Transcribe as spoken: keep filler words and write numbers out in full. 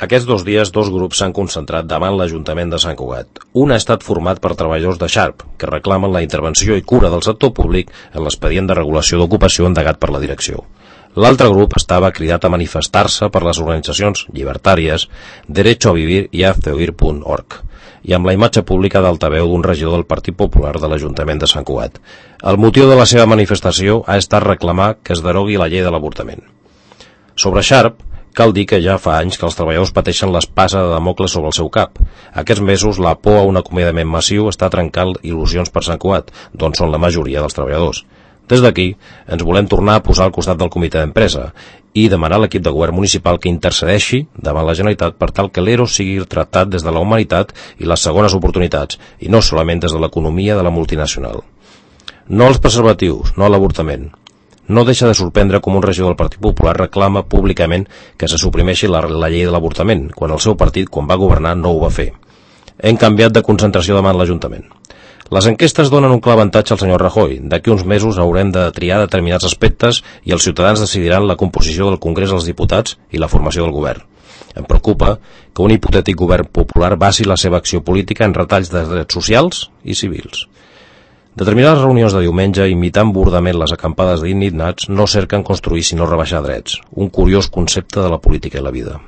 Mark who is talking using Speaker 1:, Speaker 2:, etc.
Speaker 1: Aquests dos dies, dos grups s'han concentrat davant l'Ajuntament de Sant Cugat. Un ha estat format per treballadors de Sharp, que reclamen la intervenció i cura del sector públic en l'expedient de regulació d'ocupació endegat per la direcció. L'altre grup estava cridat a manifestar-se per les organitzacions llibertàries Derecho a Vivir i hazte oír punt org, i amb la imatge pública d'altaveu d'un regidor del Partit Popular de l'Ajuntament de Sant Cugat. El motiu de la seva manifestació ha estat reclamar que es derogui la llei de l'avortament. Sobre Sharp, cal dir que ja fa anys que els treballadors pateixen l'espasa de Damocles sobre el seu cap. Aquests mesos, la por a un acomiadament massiu està trencant il·lusions per Sant Cugat, d'on són la majoria dels treballadors. Des d'aquí, ens volem tornar a posar al costat del comitè d'empresa i demanar a l'equip de govern municipal que intercedeixi davant la Generalitat per tal que l'E R O sigui tractat des de la humanitat i les segones oportunitats, i no solament des de l'economia de la multinacional. No als preservatius, no a l'avortament. No deixa de sorprendre com un regidor del Partit Popular reclama públicament que se suprimeixi la, la llei de l'avortament, quan el seu partit, quan va governar, no ho va fer. Hem canviat de concentració davant l'Ajuntament. Les enquestes donen un clar avantatge al senyor Rajoy. D'aquí uns mesos haurem de triar determinats aspectes i els ciutadans decidiran la composició del Congrés dels Diputats i la formació del govern. Em preocupa que un hipotètic govern popular basi la seva acció política en retalls de drets socials i civils. Determinades reunions de diumenge, imitant burdament les acampades d'indignats, no cerquen construir sinó rebaixar drets, un curiós concepte de la política i la vida.